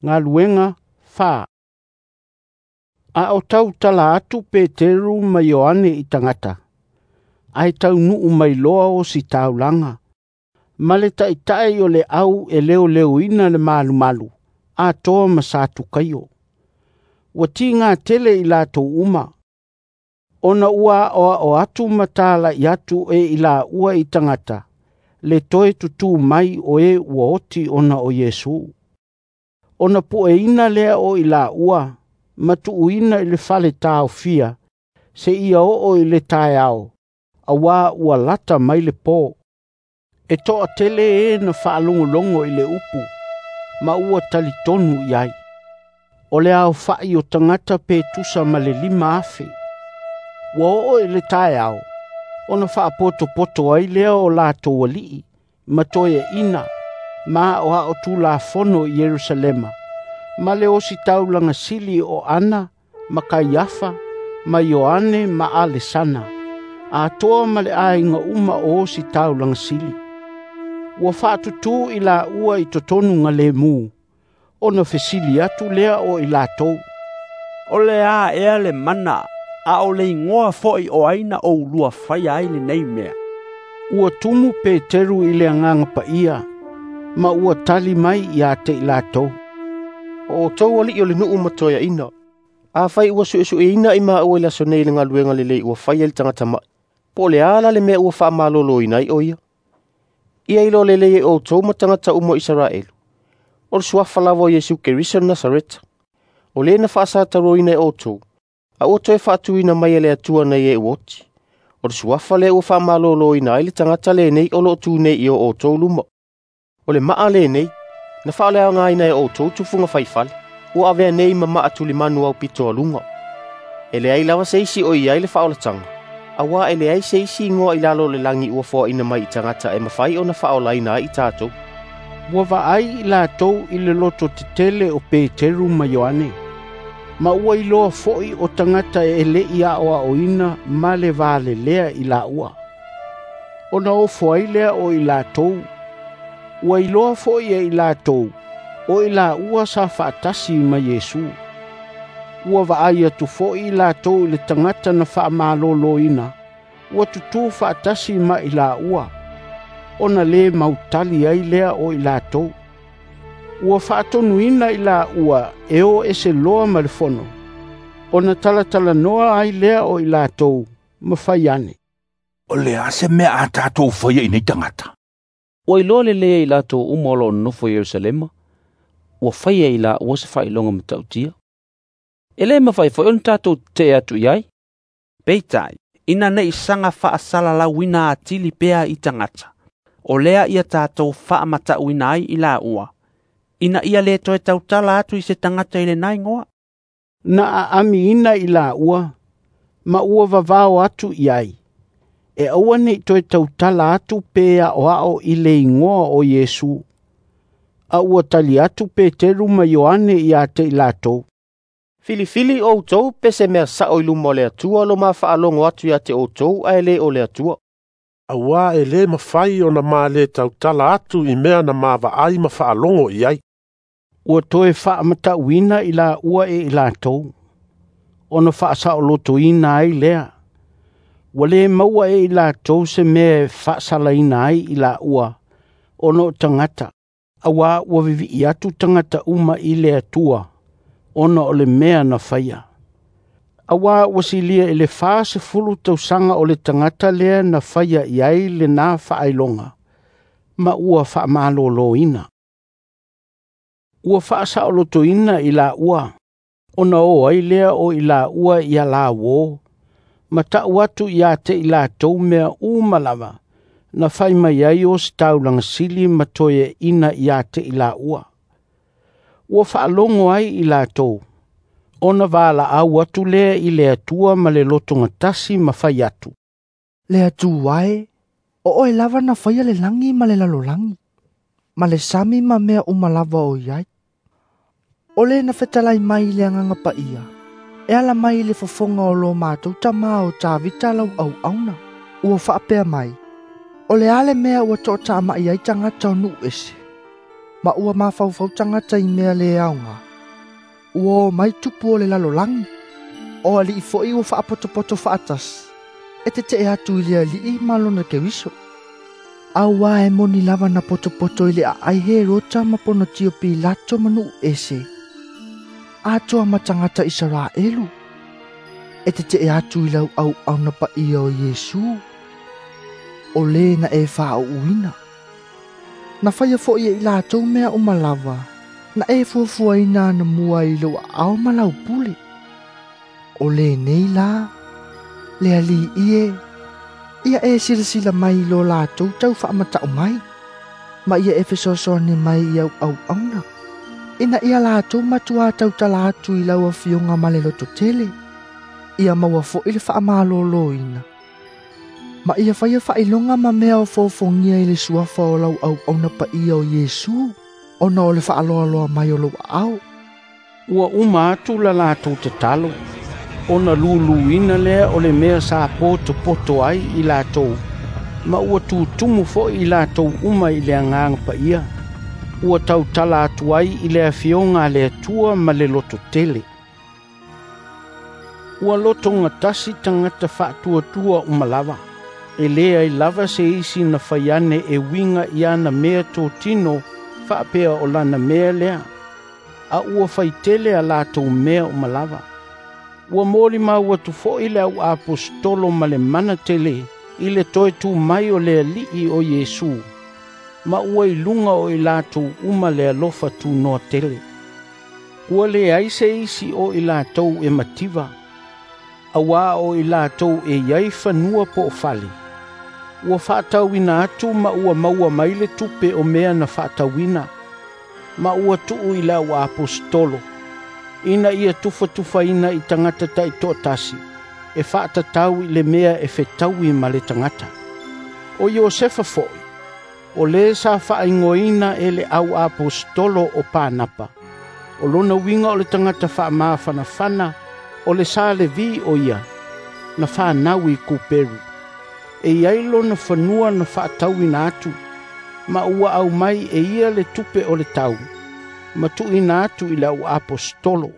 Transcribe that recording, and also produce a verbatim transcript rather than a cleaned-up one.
Galuega fa. A o tautala atu Peteru ma Ioane i tagata, ae taunuu mai loa ositaulaga, ma le taitai o le au e leoleoina le malumalu, atoa ma Satukaio. Ua tiga tele i latou uma, ona ua aoao atu ma talai atu e i laua i tagata, le toe tutū mai o e ua oti ona o Iesu. Ona pueina lea o i laua, ma tuuina i le fale taofia, seia oo i le taeao, auā ua lata mai le pō. E toatele e na faalogologo i le upu, ma ua talitonu i ai. O le aofa'i o tagata pe tusa ma le lima afe. Ua oo i le taeao, ona faapotopoto ai lea o latou alii, ma toeaina, ma aoao tulafono i Ierusalema, ma le ositaulaga sili o Ana ma Kaiafa ma Ioane ma Alesana, atoa ma le aiga uma o ositaulaga sili. Ua faatutū i laua i totonu galemu, ona fesili atu lea o i latou, O le a ea le mana, a o le igoa fo'i o ai na oulua faia ai lenei mea. Ua tumu Peteru i le agaga paia, ma ua tali mai ia te i latou, O outou alii o le nuu ma toeaina, afai ua suesueina i maua i le aso nei le galuega lelei ua faia i le tagata ma'i, po o le a la le mea ua faamaloloina ai o ia. Ia iloa lelei e outou ma tagata uma o Isaraelu, o le suafa lava o Iesu Keriso o le Nasareta, o le na faasataroina e outou, a ua toe faatuina mai e le Atua nai e ua oti. O le suafa lea ua faamaloloina ai le tagata lenei o loo tu nei i o outou luma. O le maa lenei, na faaleaogaina e outou tufuga faifale, ua avea nei ma maa tulimanu aupito aluga. E leai lava se isi o i ai le faaolataga, auā e leai se isi igoa i lalo o le lagi ua foaina mai i tagata e mafai ona faaolaina ai i tatou. Ua vaai i latou i le loto tetele o Peteru ma Ioane, ma ua iloa fo'i o tagata e le'i aoaoina ma le valelea i laua. Ona ofo ai lea o i latou, ua iloa fo'i e i latou, o i laua sa faatasi ma Iesu. Ua vaai atu fo'i i latou i le tagata na faamaloloina, ua tutū faatasi ma i laua, ona lē mautali ai lea o i latou. Ua faatonuina i laua e o ese loa ma le fono, ona talatalanoa ai lea o i latou, ma fai ane, O le a se mea a tatou faia i nei tagata. Ua iloa lelei e i latou uma o loo nonofo i Ierusalema, ua faia i laua se faailoga matautia. E lē mafai foi ona tatou tetee atu i ai. Peitai, ina nei saga faasalalauina atili pea i tagata, o lea ia tatou faamatauina ai i laua, ina ia lē toe tautala atu i se tagata i lena igoa. Na aamiina i laua, ma ua vavao atu i ai, e aua nei toe tautala atu pe aoao i le igoa o Iesu. A ua tali atu Peteru ma Ioane ia te i latou, Filifili outou pe se mea sao i luma o le Atua lo mafaalogo atu ia te outou ae le o le Atua. Auā e lē mafai ona ma lē tautala atu i mea na mavaai ma faalogo i ai. Ua toe faamatauina i laua e i latou, ona faasaolotoina ai lea. Ua lē maua e i latou se mea e faasalaina ai i laua, ona o tagata, auā ua vivii atu tagata uma i le Atua, ona o le mea na faia. Auā ua silia i le fasefulu tausaga o le tagata lea na faia i ai lenā faailoga, ma ua faamaloloina. Ua faasaolotoina i laua, ona o ai lea o i laua ia lauō, ma tau atu ia te i latou mea uma lava, na fai mai ai ositaulaga sili ma toeaina ia te i laua. Ua faalogo ai i latou, ona valaau atu lea i le Atua ma le lotogatasi ma fai atu, Le Atua e, o oe lava na faia le lagi ma le lalolagi, ma le sami ma mea uma lava o i ai. O le na fetalai mai i le agaga paia, e ala mai i le fofoga o lo matou tamā o Tavita lau auauna, ua faapea mai, O le a le mea ua toatama'i ai tagata o nuu ese, Ma ua mafaufau tagata i mea le aoga. Ua o mai tupu o le lalolagi. O ali'i fo'i ua fa'apotopoto fa'atasi e tete'e atu i le Ali'i ma lona Keriso. Auā e moni lava na potopoto i le a'ai Herota ma Ponotio Pilato ma nu'u ese, atoa ma tagata Isaraelu, e tete'e atu i lau auauna pa'ia o Iesu, o lē na e fāu'uina. Na faia fo'i e i latou mea uma lava, na e fuafuaina anamua i lou aao ma lau pule. O lenei la, le Ali'i e, ia e silasila mai i lo latou tau faamata'u mai, ma ia e fesoasoani mai i au auauna, ina ia latou matuā tautala atu i lau afioga ma le lototele, ia maua fo'i le fa'amalōlōina. Ma ia faia fa'ailoga ma mea o fofogia i le suafa o lau auauna pa'ia o Iesu, ona o le fa'aloaloa mai o lou aao. Ua uma atu la latou tatalo, ona luluina lea o le mea sa potopoto ai i latou, ma ua tutumu fo'i i latou uma i le Agaga Paia. Ua tautala atu ai i le afioga a le Atua ma le lototele. Ua lotogatasi tagata fa'atuatua uma lava, e lē ai lava se isi na faiane e uiga i ana mea totino fa'apea o lana mea lea, a ua faitele a latou mea uma lava. Ua molimau atu fo'i le au aposetolo ma le mana tele i le toe tū mai o le Ali'i o Iesu, ma ua i luga o i latou uma le alofa tunoa tele. Ua leai se isi o i latou e mativa, auā o i latou e iai fanua po o fale. Ua fa'atauina atu ma ua maua mai le tupe o mea na fa'atauina, ma ua tu'u i le au aposetolo, ina ia tufatufaina i tagata ta'ito'atasi, e fa'atatau i le mea e fetaui ma le tagata. O Iosefa fo'i, o lē sa fa'aigoaina e le au aposetolo o Panapa, o lona uiga o le tagata fa'amafanafana, o le sa Levi o ia, na fanau i Kuperu. E iai lona fanua na fa'atauina atu, ma ua aumai e ia le tupe o le tau, ma tu'uina atu i le au aposetolo.